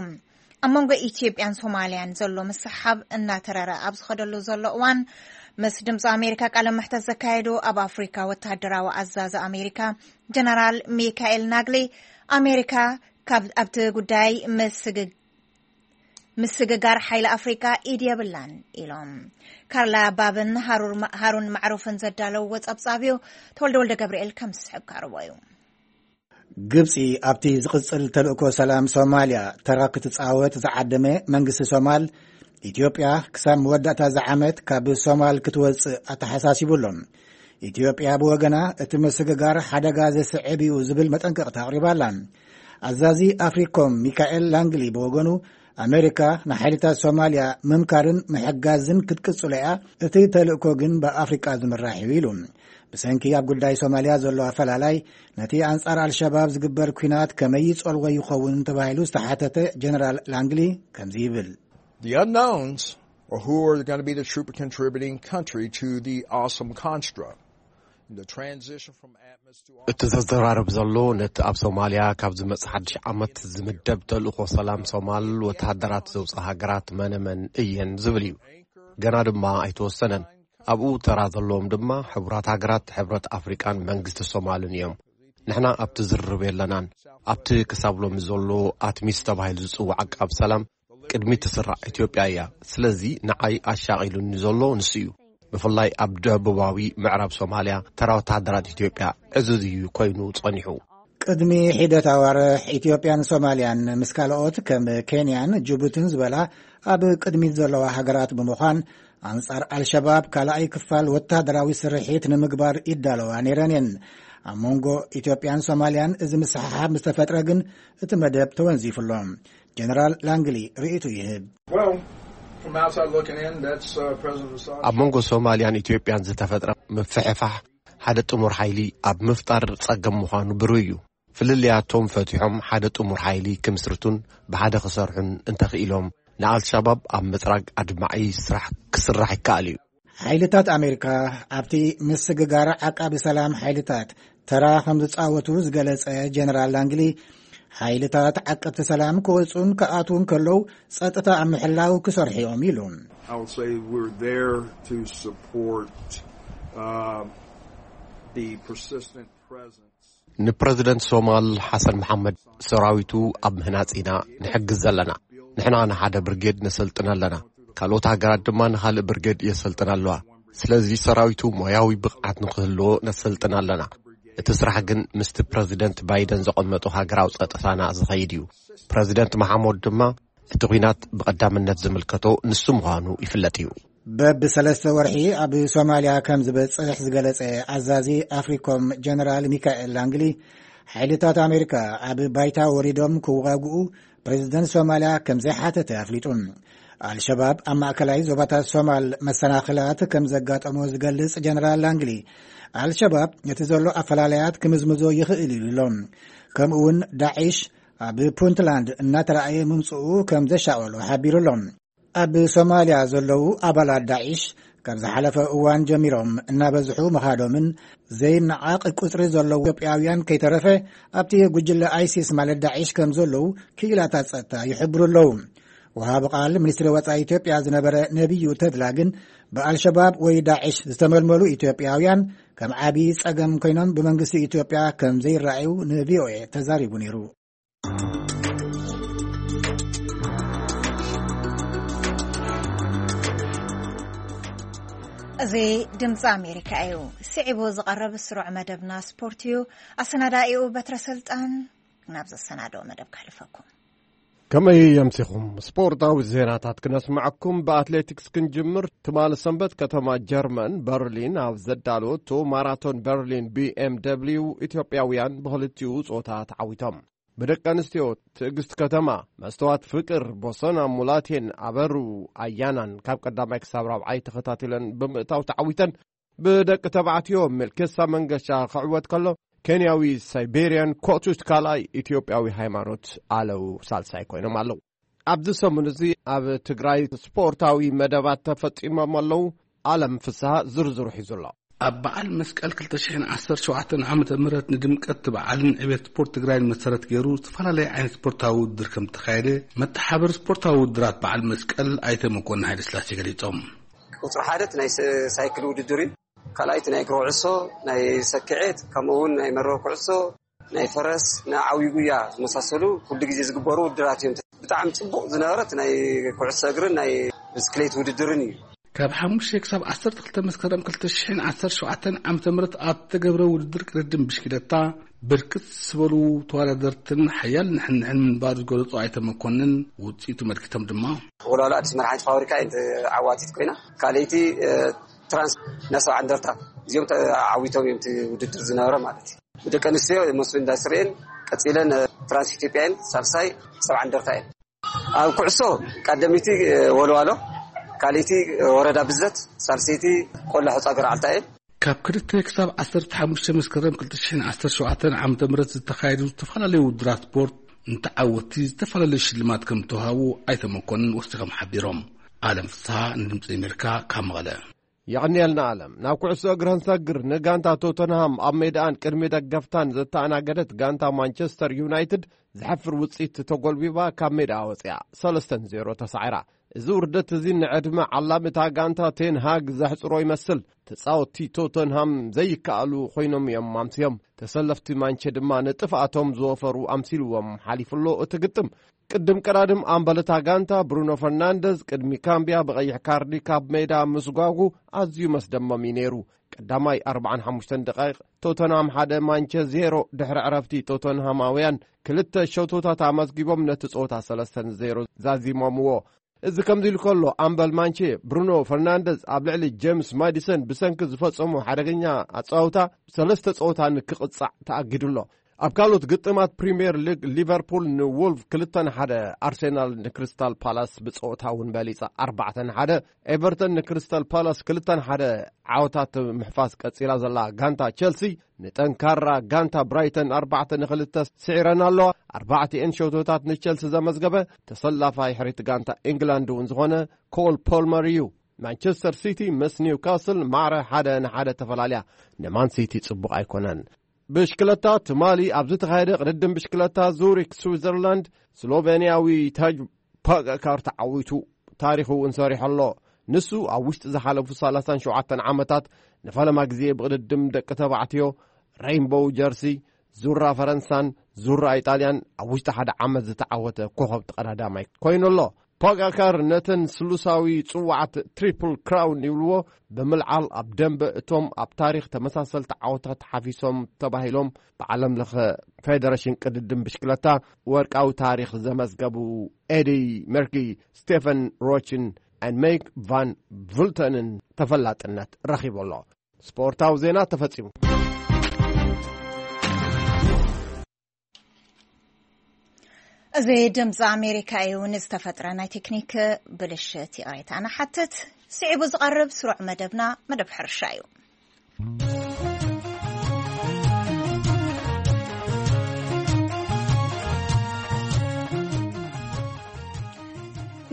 ኣብ መንጎ ኢትዮጵያን ሶማልያን ዘሎ ምስሓብ እናተረረ ኣብ ዝኸደሉ ዘሎ እዋን፣ ምስ ድምፂ ኣሜሪካ ቃለ መሕተት ዘካየዱ ኣብ ኣፍሪካ ወተሃደራዊ ኣዛዚ ኣሜሪካ ጀነራል ሚካኤል ናግሊ፣ ኣሜሪካ ካብ ኣብቲ ጉዳይ ምስግግ ምስግጋር ሓይሊ ኣፍሪካ ኢድ የብላን ኢሎም። ካርላ ባብን ሃሩን ማዕሩፍን ዘዳለውዎ ጸብጻብ እዩ። ተወልደ ወልደ ገብርኤል ከም ዝስዕብ ካርቦ እዩ። ግብጺ ኣብቲ ዝቕጽል ተልእኮ ሰላም ሶማልያ ተራ ክትጻወት ዝዓደመ መንግስቲ ሶማል፣ ኢትዮጵያ ክሳብ መወዳእታ ዝዓመት ካብ ሶማል ክትወጽእ ኣተሓሳሲቡ ኣሎ። ኢትዮጵያ ብወገና እቲ ምስግጋር ሓደጋ ዘስዕብ እዩ ዝብል መጠንቀቕታ ኣቕሪባ ኣላ። ኣዛዚ ኣፍሪኮም ሚካኤል ላንግሊ ብወገኑ፣ ኣሜሪካ ንሓይልታት ሶማልያ ምምካርን ምሕጋዝን ክትቅጽሎ እያ፣ እቲ ተልእኮ ግን ብኣፍሪቃ ዝምራሕ እዩ ኢሉ። ብሰንኪ ኣብ ጉዳይ ሶማልያ ዘሎ ኣፈላላይ፣ ነቲ ኣንጻር ኣልሸባብ ዝግበር ኲናት ከመይ ይጸልዎ ይኸውን ተባሂሉ ዝተሓተተ ጀነራል ላንግሊ ከምዚ ይብል። The unknowns are who are going to be the troop contributing country to the awesome construct. The transition from ATMIS to እቲ ዘዘራርብ ዘሎ ነቲ ኣብ ሶማልያ ካብ ዝመጽእ ሓድሽ ዓመት ዝምደብ ተልእኾ ሰላም ሶማል ወተሃደራት ዘውፅእ ሃገራት መነመን እየን ዝብል እዩ። ገና ድማ ኣይተወሰነን። ኣብኡ ተራ ዘለዎም ድማ ሕቡራት ሃገራት፣ ሕብረት ኣፍሪቃን መንግስቲ ሶማልን እዮም። ንሕና ኣብቲ ዝርርብ የለናን። ኣብቲ ክሳብ ሎሚ ዘሎ ኣትሚስ ተባሂሉ ዝጽዋዕ ዓቃብ ሰላም ቅድሚት ትስራዕ ኢትዮጵያ እያ። ስለዚ ንዓይ ኣሻቒሉኒ ዘሎ ንሱ እዩ። ብፍላይ ኣብ ደቡባዊ ምዕራብ ሶማልያ ተራ ወተሃደራት ኢትዮጵያ ዕዙዝ እዩ ኮይኑ ጸኒሑ። ቅድሚ ሒደት ኣዋርሕ ኢትዮጵያን ሶማልያን ምስ ካልኦት ከም ኬንያን ጅቡትን ዝበላ ኣብ ቅድሚት ዘለዋ ሃገራት ብምዃን ኣንጻር ኣልሸባብ ካልኣይ ክፋል ወተሃደራዊ ስርሒት ንምግባር ይዳለዋ ነይረን እየን። ኣብ መንጎ ኢትዮጵያን ሶማልያን እዚ ምስሕሓብ ምስ ተፈጥረ ግን እቲ መደብ ተወንዚፉ ኣሎ። ጀነራል ላንግሊ ርእይቱ ይህብ። Well, from outside looking in, that's uh, President Assad. ኣብ መንጎ ሶማልያን ኢትዮጵያን ዝተፈጥረ ምፍሕፋሕ ሓደ ጥሙር ሓይሊ ኣብ ምፍጣር ጸገም ምዃኑ ብሩህ እዩ። ፍልልያቶም ፈቲሖም ሓደ ጥሙር ሓይሊ ክምስርቱን ብሓደ ክሰርሑን እንተኽኢሎም ንኣልሻባብ ኣብ ምጽራግ ኣድማዒ ስራሕ ክስራሕ ይከኣል እዩ። ሓይልታት ኣሜሪካ ኣብቲ ምስግጋር ዓቃቢ ሰላም ሓይልታት ተራ ከም ዝጻወቱ ዝገለጸ ጀነራል ላንግሊ፣ ሓይልታት ዓቀብቲ ሰላም ክወጹን ክኣትዉን ከለዉ ጸጥታ ኣብ ምሕላው ክሰርሑ እዮም ኢሉ። I would say we're there to support uh, the persistent presence. ንፕረዚደንት ሶማል ሓሰን መሓመድ ሰራዊቱ ኣብ ምህናጽ ኢና ንሕግዝ ዘለና። ንሕና ንሓደ ብርጌድ ነሰልጥን ኣለና። ካልኦት ሃገራት ድማ ንኻልእ ብርጌድ የሰልጥን ኣለዋ። ስለዚ ሰራዊቱ ሞያዊ ብቕዓት ንክህልዎ ነሰልጥን ኣለና። እቲ ስራሕ ግን ምስቲ ፕረዚደንት ባይደን ዘቐመጦ ሃገራዊ ጸጥታና ዝኸይድ እዩ። ፕረዚደንት መሓመድ ድማ እቲ ኲናት ብቐዳምነት ዝምልከቶ ንሱ ምዃኑ ይፍለጥ እዩ። በብሰለስተ ወርሒ ኣብ ሶማልያ ከም ዝበጽሕ ዝገለጸ ኣዛዚ ኣፍሪኮም ጀነራል ሚካኤል ላንግሊ፣ ሓይልታት ኣሜሪካ ኣብ ባይታ ወሪዶም ክዋግኡ ፕሬዚደንት ሶማልያ ከም ዘይሓተተ ኣፍሊጡ። ኣልሸባብ ኣብ ማእከላይ ዞባታት ሶማል መሰናኽላት ከም ዘጋጠሞ ዝገልጽ ጀነራል ላንግሊ፣ ኣልሸባብ ነቲ ዘሎ ኣፈላለያት ክምዝምዞ ይኽእል ኢሉ ኣሎ። ከምኡ እውን ዳዒሽ ኣብ ፑንትላንድ እናተረኣየ ምምፅኡ ከም ዘሻቐሎ ሓቢሩ ኣሎ። ኣብ ሶማልያ ዘለዉ ኣባላት ዳዒሽ ካብ ዝሓለፈ እዋን ጀሚሮም እናበዝሑ ምኻዶምን ዘይነዓቕ ቁፅሪ ዘለዉ ኢትዮጵያውያን ከይተረፈ ኣብቲ ጉጅለ ኣይሲስ ማለት ዳዒሽ ከም ዘለዉ ክኢላታት ጸጥታ ይሕብሩ ኣለዉ። ወሃቢ ቃል ሚኒስትሪ ወጻኢ ኢትዮጵያ ዝነበረ ነቢዩ ተድላ ግን ብኣልሸባብ ወይ ዳዒሽ ዝተመልመሉ ኢትዮጵያውያን ከም ዓቢ ጸገም ኮይኖም ብመንግስቲ ኢትዮጵያ ከም ዘይረኣዩ ንቪኦኤ ተዛሪቡ ነይሩ። እዚ ድምፂ ኣሜሪካ እዩ። ስዒቡ ዝቐርብ ስሩዕ መደብና ስፖርት እዩ። ኣሰናዳኢኡ በትረ ስልጣን። ናብ ዘሰናደኦ መደብ ከሕልፈኩም። ከመይ የምሲኹም? ስፖርታዊ ዜናታት ክነስምዐኩም። ብኣትሌቲክስ ክንጅምር። ትማሊ ሰንበት ከተማ ጀርመን በርሊን ኣብ ዘዳለወቶ ማራቶን በርሊን ቢ ኤም ደብልዩ ኢትዮጵያውያን ብኽልቲኡ ጾታ ተዓዊቶም። ብደቂ ኣንስትዮ ትዕግስት ከተማ፣ መስተዋት ፍቅር፣ ቦሰና ሙላቴን ኣበሩ ኣያናን ካብ ቀዳማይ ክሳብ ራብዓይ ተኸታቲለን ብምእታው ተዓዊተን። ብደቂ ተባዕትዮ ሜልኬሳ መንገሻ ክዕወት ከሎ፣ ኬንያዊ ሳይቤርያን ኮቱት ካልኣይ፣ ኢትዮጵያዊ ሃይማኖት ኣለዉ ሳልሳይ ኮይኖም ኣለዉ። ኣብዚ ሰሙን እዚ ኣብ ትግራይ ስፖርታዊ መደባት ተፈጺሞም ኣለዉ። ኣለም ፍስሃ ዝርዝሩ ሒዙ ኣሎ። ኣብ በዓል መስቀል ክልተ ሽሕን ዓሰርተ ሸውዓተን ዓመተ ምህረት ንድምቀት እቲ በዓልን ዕቤት ስፖርት ትግራይን መሰረት ገይሩ ዝተፈላለየ ዓይነት ስፖርታዊ ውድድር ከም ዝተኻየደ መተሓበር ስፖርታዊ ውድድራት በዓል መስቀል ኣይተ መኮንን ሃይለስላሴ ገሊጾም። ቁፅሪ ሓደ እቲ ናይ ስ- ሳይክል ውድድር እዩ። ካልኣይ እቲ ናይ እግሪ ኩዕሶ፣ ናይ ሰኪዔት፣ ከምኡ እውን ናይ መርበብ ኩዕሶ፣ ናይ ፈረስ፣ ናይ ዓብዪ ጉያ ዝመሳሰሉ ኩሉ ግዜ ዝግበሩ ውድድራት እዮም። ብጣዕሚ ፅቡቕ ዝነበረ እቲ ናይ ኩዕሶ እግርን ናይ ብስክሌት ውድድርን እዩ። ካብ ሓሙሽተ ክሳብ ዓሰርተ ክልተ መስከረም ክልተ ሽሕን ዓሰርተ ሸውዓተን ዓመተ ምህረት ኣብ ተገብረ ውድድር ቅድድም ብሽክለታ ብርክት ዝበሉ ተወዳደርትን ሓያል ንሕንሕን ምንባሩ ዝገለጹ ኣይተ መኮንን፣ ውፅኢቱ መልኪቶም ድማ ወልዋሎ ኣዲስ መድሓኒት ፋብሪካ እየ ዓዋቲት ኮይና፣ ካልኣይቲ ትራንስ እና ሰብዓ እንደርታ እዚኦም ተዓዊቶም እዮም እቲ ውድድር ዝነበረ ማለት እዩ። ብደቂ ኣንስትዮ መስፍን ኢንዳስትሪ እየን፣ ቀፂለን ትራንስ ኢትዮጵያ እየን፣ ሳልሳይ ሰብዓ እንደርታ እየን። ኣብ ኩዕሶ ቀደሚቲ ወልዋሎ፣ ካልኣይቲ ወረዳ ብዘት፣ ሳልሰይቲ ቆላ ሑፃ ገርዓልታ እየን። ካብ ክልተ ክሳብ ዓሰርተ ሓሙሽተ መስከረም ክልተ ሽሕን ዓሰርተ ሸውዓተን ዓመተ ምህረት ዝተኻየዱ ዝተፈላለዩ ውድድራት ስፖርት ንተዓወትቲ ዝተፈላለዩ ሽልማት ከም ዝተዋሃቡ ኣይተ መኮንን ወሲኾም ሓቢሮም። ኣለም ፍስሃ ንድምፂ ኣሜሪካ ካብ መቐለ። የቐንየልና ኣለም። ናብ ኩዕሶ እግሪ ክንሰግር፣ ንጋንታ ቶተንሃም ኣብ ሜዳኣን ቅድሚ ደገፍታን ዘተኣናገደት ጋንታ ማንቸስተር ዩናይትድ ዘሕፍር ውፅኢት ተጎልቢባ ካብ ሜዳኣ ወፂኣ ሰለስተ ንዜሮ ተሳዒራ። እዚ ውርደት እዚ ንዕድመ ዓላሚ እታ ጋንታ ቴን ሃግ ዘሕፅሮ ይመስል። ተፃወትቲ ቶተንሃም ዘይከኣሉ ኮይኖም እዮም ኣምስዮም። ተሰለፍቲ ማንቸ ድማ ንጥፍኣቶም ዝወፈሩ ኣምሲልዎም ሓሊፉ ኣሎ እቲ ግጥም። ቅድም ቀዳድም ኣምበል እታ ጋንታ ብሩኖ ፈርናንደዝ ቅድሚ ካምቢያ ብቐይሕ ካርዲ ካብ ሜዳ ምስጓጉ ኣዝዩ መስደመም እዩ ነይሩ። ቀዳማይ ኣርብዓን ሓሙሽተን ደቃይቕ ቶተንሃም ሓደ ማንቸ ዜሮ። ድሕሪ ዕረፍቲ ቶተንሃማውያን ክልተ ሸቶታት ኣመዝጊቦም ነቲ ጸወታ ሰለስተ ንዜሮ ዛዚሞምዎ። እዚ ከምዚ ኢሉ ከሎ፣ ኣምበል ማንቼ ብሩኖ ፈርናንደዝ ኣብ ልዕሊ ጄምስ ማዲሰን ብሰንኪ ዝፈጸሞ ሓደገኛ ኣጻውታ ሰለስተ ጸወታ ንክቕጻዕ ተኣጊዱ ኣሎ። ኣብ ካልኦት ግጥማት ፕሪምየር ሊግ፣ ሊቨርፑል ንዎልቭ ክልተ ንሓደ፣ ኣርሴናል ንክሪስታል ፓላስ ብጸወታ እውን በሊጻ ኣርባዕተ ንሓደ፣ ኤቨርተን ንክሪስታል ፓላስ ክልተ ንሓደ ዓወታት ምሕፋስ ቀጺላ ዘላ ጋንታ ቸልሲ ንጠንካራ ጋንታ ብራይተን ኣርባዕተ ንክልተ ስዒረን ኣለዋ። ኣርባዕቲኤን ሸቶታት ንቸልሲ ዘመዝገበ ተሰላፋይ ሕሪት ጋንታ ኢንግላንድ እውን ዝኾነ ኮል ፖልመር እዩ። ማንቸስተር ሲቲ ምስ ኒውካስል ማዕረ ሓደ ንሓደ ተፈላልያ። ንማን ሲቲ ጽቡቕ ኣይኮነን። ብሽክለታ ትማሊ ኣብ ዝተኻየደ ቅድድም ብሽክለታ ዙሪክ ስዊዘርላንድ፣ ስሎቬንያዊ ታጅ ፖጋካር ተዓዊቱ ታሪኹ እውን ሰሪሑ ኣሎ። ንሱ ኣብ ውሽጢ ዝሓለፉ ሰላሳን ሸውዓተን ዓመታት ንፈለማ ግዜ ብቕድድም ደቂ ተባዕትዮ ሬይንቦው ጀርሲ፣ ዙራ ፈረንሳን ዙራ ኢጣልያን ኣብ ውሽጢ ሓደ ዓመት ዝተዓወተ ኮኸብ ተቐዳዳማይ ኮይኑ ኣሎ። ፖጋካር ነተን ስሉሳዊ ጽዋዓት ትሪፕል ክራውን ይብልዎ ብምልዓል፣ ኣብ ደንበ እቶም ኣብ ታሪኽ ተመሳሰልቲ ዓወታት ሓፊሶም ተባሂሎም ብዓለም ለኸ ፌደሬሽን ቅድድም ብሽክለታ ወርቃዊ ታሪኽ ዘመዝገቡ ኤዲ መርኪ፣ ስቴፈን ሮችን፣ ን ሜክ ቫን ቭልተንን ተፈላጥነት ረኺቡ ኣሎ። ስፖርታዊ ዜና ተፈጺሙ። እዚ ድምፂ ኣሜሪካ እዩ። ንዝተፈጥረ ናይ ቴክኒክ ብልሽት ይቕሬታ ንሓትት። ስዒቡ ዝቐርብ ስሩዕ መደብና መደብ ሕርሻ እዩ።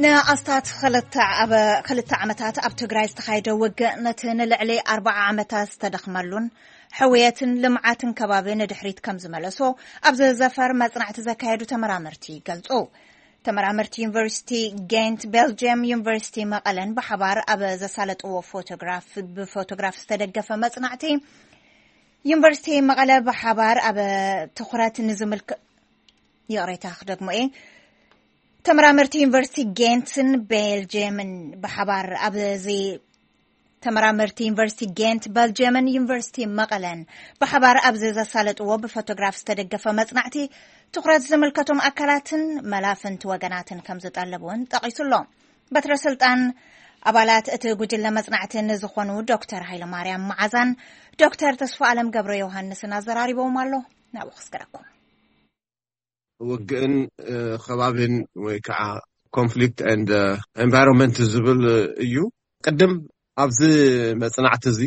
ንኣስታት ክልተ ዓመታት ኣብ ትግራይ ዝተኻየደ ውግእ፣ ነቲ ንልዕሊ ኣርባዓ ዓመታት ዝተደኽመሉን ሕውየትን ልምዓትን ከባቢ ንድሕሪት ከም ዝመለሶ ኣብ ዝዘፈር መጽናዕቲ ዘካየዱ ተመራመርቲ ይገልጹ። ተመራመርቲ ዩኒቨርሲቲ ጌንት፣ ቤልጅየም ዩኒቨርሲቲ መቐለን ብሓባር ኣብ ዘሳለጥዎ ፎቶግራፍ፣ ብፎቶግራፍ ዝተደገፈ መጽናዕቲ፣ ዩኒቨርሲቲ መቐለ ብሓባር ኣብ ትኹረት ንዝምልከ-፣ ይቕሬታ ክደግሞ እየ። ተመራመርቲ ዩኒቨርሲቲ ጌንትን ቤልጅየምን ብሓባር ኣብዚ ተመራመርቲ ዩኒቨርሲቲ ጌንት፣ በልጅየምን ዩኒቨርሲቲ መቐለን ብሓባር ኣብዚ ዘሳለጥዎ ብፎቶግራፍ ዝተደገፈ መጽናዕቲ፣ ትኹረት ዝምልከቶም ኣካላትን መላፍንቲ ወገናትን ከም ዝጠልብ እውን ጠቒሱ ኣሎ። በትረ ስልጣን ኣባላት እቲ ጉጅለ መጽናዕቲ ንዝኾኑ ዶክተር ሃይለማርያም መዓዛን ዶክተር ተስፋ ኣለም ገብረ ዮሃንስን ኣዘራሪቦም ኣሎ። ናብኡ ክስገረኩም። ውግእን፣ እ፣ ከባቢን ወይ ከዓ ኮንፍሊክት ኤንድ፣ እ፣ ኤንቫይሮንመንት ዝብል እዩ። ቅድም ኣብዚ መጽናዕቲ እዚ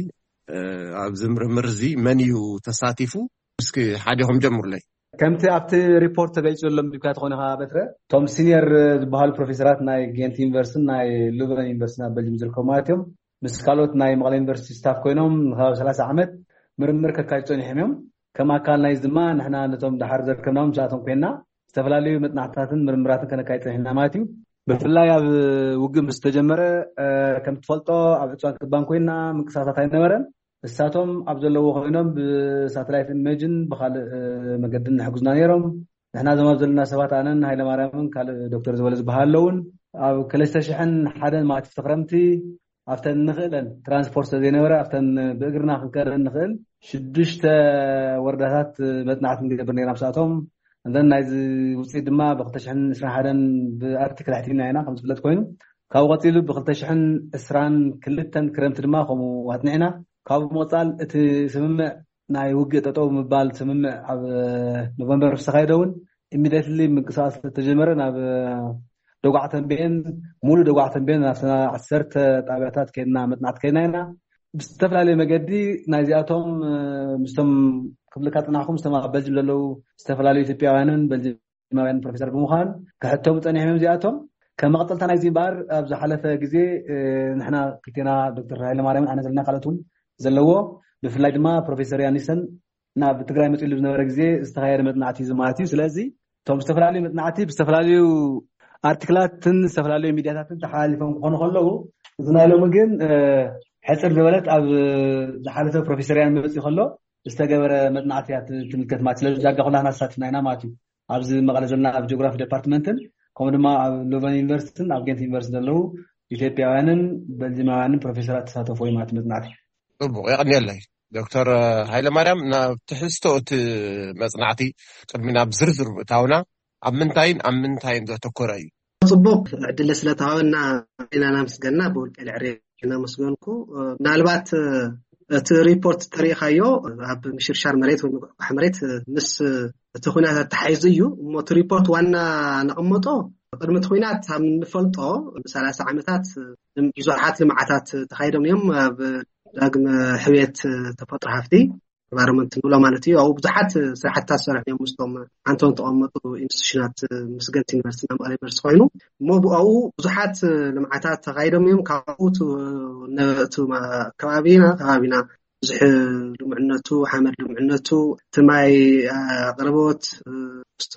ኣብዚ ምርምር እዚ መን እዩ ተሳቲፉ? እስኪ ሓዲኹም ጀምሩለይ። ከምቲ ኣብቲ ሪፖርት ተገሊጹ ዘሎ ምልክታ ተኾነ ኸዓ በትረ፣ እቶም ሲኒየር ዝበሃሉ ፕሮፌሰራት ናይ ጌንት ዩኒቨርሲቲን ናይ ሉቨን ዩኒቨርሲቲ ኣብ በልጅም ዝርከቡ ማለት እዮም፣ ምስ ካልኦት ናይ መቐለ ዩኒቨርሲቲ ስታፍ ኮይኖም ንከባቢ ሰላሳ ዓመት ምርምር ከካይዱ ጸኒሖም እዮም። ከም ኣካል ናይዚ ድማ ንሕና ነቶም ደሓር ዘርከብናዎም ምስኣቶም ኮይና ዝተፈላለዩ መጽናዕትታትን ምርምራትን ከነካይድ ጸኒሕና ማለት እዩ። ብፍላይ ኣብ ውግእ ምስ ተጀመረ ከም ትፈልጦ ኣብ ዕፅዋን ክባን ኮይና ምንቅስቃሳት ኣይነበረን። እሳቶም ኣብ ዘለዎ ኮይኖም ብሳተላይት ኢሜጅን ብካልእ መገድን ንሕግዙና ነይሮም። ንሕና ዞም ኣብ ዘለና ሰባት ኣነን ሃይለማርያምን ካልእ ዶክተር ዝበለ ዝበሃል ኣለውን ኣብ ክልተ ሽሕን ሓደን ማለት እቲ ክረምቲ ኣብተን ንኽእለን ትራንስፖርት ስለዘይነበረ ኣብተን ብእግርና ክንከደን ንኽእል ሽዱሽተ ወረዳታት መጽናዕቲ ንገብር ነርና ምስኣቶም። እንደን ናይዚ ውፅኢት ድማ ብ ክልተ ሽሕን ዕስራን ሓደን ብኣርቲክል ኣሕቲምና ኢና ከም ዝፍለጥ ኮይኑ ካብኡ ቀፂሉ ብ ክልተ ሽሕን ዕስራን ክልተን ክረምቲ ድማ ከምኡ ኣጽኒዕና። ካብኡ ብምቕፃል እቲ ስምምዕ ናይ ውግእ ጠጠው ምባል ስምምዕ ኣብ ኖቨምበር ዝተኻየደ እውን ኢሚዲየትሊ ምንቅስቃስ ስለተጀመረ ናብ ደጉዓ ተንቤን ሙሉ ደጉዓ ተንቤን ናብ ዓሰርተ ጣብያታት ከይድና መጥናዕቲ ከይድና ኢና። ብዝተፈላለየ መገዲ ናይዚኣቶም ምስቶም ክብልካ ፅናሕኩም ምስቶም ኣብ በልጅም ዘለዉ ዝተፈላለዩ ኢትዮጵያውያንን በልጅማውያን ፕሮፌሰር ብምዃን ክሕተሙ ፀኒሖም እዮም። እዚኣቶም ከም መቐፀልታ ናይዚ እምበኣር ኣብ ዝሓለፈ ግዜ ንሕና ክልቴና ዶክተር ሃይለማርያምን ኣነ ዘለና ካልኦት እውን ዘለዎ ብፍላይ ድማ ፕሮፌሰር ያኒሰን ናብ ትግራይ መፅሉ ዝነበረ ግዜ ዝተኻየደ መፅናዕቲ እዩ ማለት እዩ። ስለዚ እቶም ዝተፈላለዩ መፅናዕቲ ብዝተፈላለዩ ኣርቲክላትን ዝተፈላለዩ ሚዲያታትን ተሓላሊፎም ክኾኑ ከለዉ እዚ ናይ ሎሚ ግን ሕፅር ዝበለት ኣብ ዝሓለፈ ፕሮፌሰር ያን መፅኡ ከሎ ዝተገበረ መፅናዕቲ እያ ትምልከት ማለት ስለዚ ዳጋ ኩላትና ተሳቲፍና ኢና ማለት እዩ። ኣብዚ መቐለ ዘለና ኣብ ጂኦግራፊ ዲፓርትመንትን ከምኡ ድማ ኣብ ሎቨን ዩኒቨርሲቲን ኣብ ጌንት ዩኒቨርሲቲ ዘለዉ ኢትዮጵያውያንን በልጅማውያንን ፕሮፌሰራት ተሳተፎ እዩ ማለት መፅናዕቲ። ጽቡቕ የቐንየለይ። ዶክተር ሃይለማርያም ናብ ትሕዝቶ እቲ መጽናዕቲ ቅድሚ ናብ ዝርዝር ምእታውና ኣብ ምንታይን ኣብ ምንታይን ዘተኮረ እዩ? ጽቡቕ ዕድል ስለተሃበና ኢና ናመስገና ብውልቀ ልዕሪ እናመስገንኩ ምናልባት እቲ ሪፖርት ተሪኢኻዮ ኣብ ምሽርሻር መሬት ወይ ምጉሕጓሕ መሬት ምስ እቲ ኩናት ኣተሓሒዙ እዩ እሞ እቲ ሪፖርት ዋና ነቐመጦ ቅድሚ እቲ ኩናት ኣብ ንፈልጦ ሰላሳ ዓመታት ብዙሓት ልምዓታት ተኻይዶም እዮም ኣብ ዳግመ ሕውየት ተፈጥሮ ሃፍቲ ኢንቫይሮንመንት ንብሎ ማለት እዩ ኣብኡ ብዙሓት ስራሕትታት ሰሪሖም እዮም ምስቶም ዓንቶም ተቐመጡ ኢንስቲቱሽናት ምስ ገንት ዩኒቨርሲቲ ናብ መቐለ ዩኒቨርሲቲ ኮይኑ እሞ ብኣኡ ብዙሓት ልምዓታት ተኻይዶም እዮም ካብኡ እቲ ከባቢና ከባቢና ብዙሕ ልሙዕነቱ ሓመድ ልሙዕነቱ እቲ ማይ ኣቕርቦት ምስቱ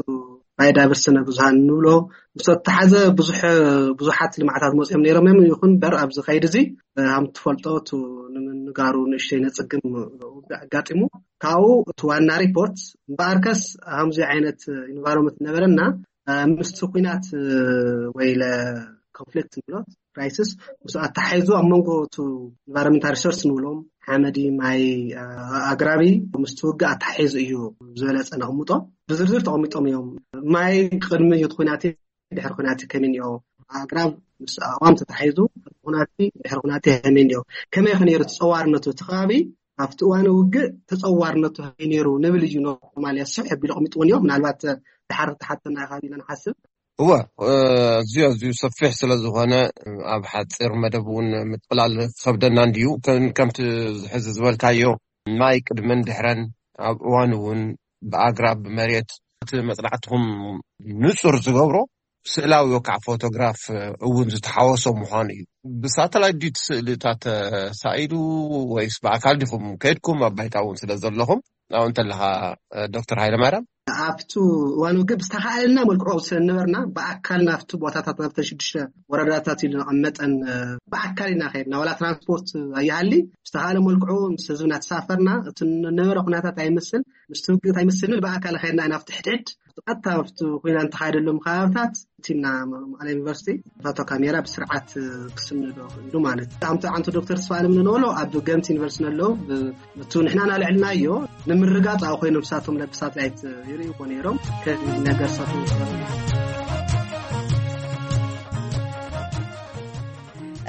ባዮዳይቨርሲቲ ስነ ብዙሃን ንብሎ ምስ ኣተሓዘ ብዙሕ ብዙሓት ልምዓታት መፅኦም ነይሮም እዮም ይኹን በር ኣብዚ ከይድ እዚ ሃም ትፈልጦ እቲ ንምንጋሩ ንእሽተይ ነፅግም ኣጋጢሙ ካብኡ እቲ ዋና ሪፖርት እምበኣርከስ ሃምዚ ዓይነት ኢንቫይሮንመንት ነበረና ምስቲ ኩናት ወይ ኮንፍሊክት ንብሎ ክራይሲስ ምስ ኣተሓሒዙ ኣብ መንጎ ቱ ኢንቫይሮንመንታል ሪሶርስ ንብሎም ሓመዲ ማይ ኣግራቢ ምስቲ ውግእ ኣተሓሒዙ እዩ ዝበለፀ ነቕምጦ ብዝርዝር ተቐሚጦም እዮም ማይ ቅድሚ እቲ ኩናት ድሕሪ ኩናት ከመይ እኒኦ ኣግራብ ምስ ኣዋም ተታሒዙ ኩናት ድሕሪ ኩናት ከመይ እኒኦ ከመይ ከነይሩ ተፀዋርነቱ እቲ ከባቢ ኣብቲ እዋነ ውግእ ተፀዋርነቱ ከመይ ነይሩ ንብል እዩ ኖርማል እያ ስሕ ኣቢሉ ኣቐሚጥዎ እኒኦ ምናልባት ድሓር ተሓተና ኢኻ ኢለ ንሓስብ እወ ኣዝዩ ኣዝዩ ሰፊሕ ስለ ዝኾነ ኣብ ሓፂር መደብ እውን ምጥቕላል ክኸብደና እንድዩ ከምቲ ሕዚ ዝበልካዮ ማይ ቅድመን ድሕረን ኣብ እዋን እውን ብኣግራብ ብመሬት እቲ መፅናዕትኹም ንፁር ዝገብሮ ስእላዊ ወካዕ ፎቶግራፍ እውን ዝተሓወሶ ምዃኑ እዩ። ብሳተላይት ድዩ እቲ ስእልታት ተሳኢሉ ወይስ ብኣካል ዲኹም ከይድኩም ኣብ ባይታ እውን ስለ ዘለኹም ኣብኡ እንተለኻ ዶክተር ሃይለማርያም ኣብቱ እዋን ውግእ ብዝተኻኣለና መልክዑ ስለ ዝነበርና ብኣካል ናብቲ ቦታታት ናብተን ሽዱሽተ ወረዳታት ኢሉ ነቐመጠን ብኣካል ኢና ከይድና ዋላ ትራንስፖርት ኣይሃሊ ብዝተኻኣለ መልክዑ ምስ ህዝብና ተሳፈርና እቲ ነበረ ኩነታት ኣይመስል ምስቲ ውግእ ኣይመስል ንብል ብኣካል ከይድና ኢና ኣብቲ ሕድሕድ ቀጥታ ኣብቲ ኮይና እንተኻየደሎም ከባብታት እቲ ና መቐለ ዩኒቨርሲቲ ፎቶ ካሜራ ብስርዓት ክስንዶ ክእሉ ማለት እዩ። ኣምተ ዓንቶ ዶክተር ተስፋኣለም ንንበሎ ኣብ ገምት ዩኒቨርሲቲ ኣለዉ ብቱ ንሕና ናልዕልናዮ ንምርጋፅ ኣብ ኮይኖም ሳቶም ለብሳት ላይት ይርእይዎ ነይሮም ከዚ ነገር ሳቶም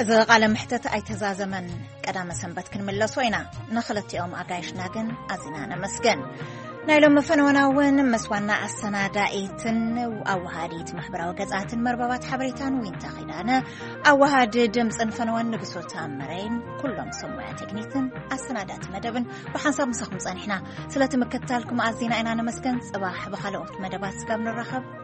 እዚ ቃለ ምሕተት ኣይተዛዘመን። ቀዳመ ሰንበት ክንምለሶ ኢና። ንኽልቲኦም ኣጋይሽና ግን ኣዚና ነመስግን። ናይ ሎም ፈነወና እውን ምስ ዋና ኣሰናዳኢትን ኣወሃዲት ማሕበራዊ ገጻትን መርበባት ሓበሬታን ዊንታ ኺዳነ፣ ኣወሃዲ ድምጽን ፈነወን ንግሶ ታምረይን፣ ኩሎም ሰብ ሞያ ቴክኒክን ኣሰናዳእቲ መደብን ብሓንሳብ ምሳኹም ጸኒሕና። ስለቲ ምክትታልኩም ኣዚና ኢና ነመስገን። ጽባሕ ብኻልኦት መደባት ስጋብ ንራኸብ።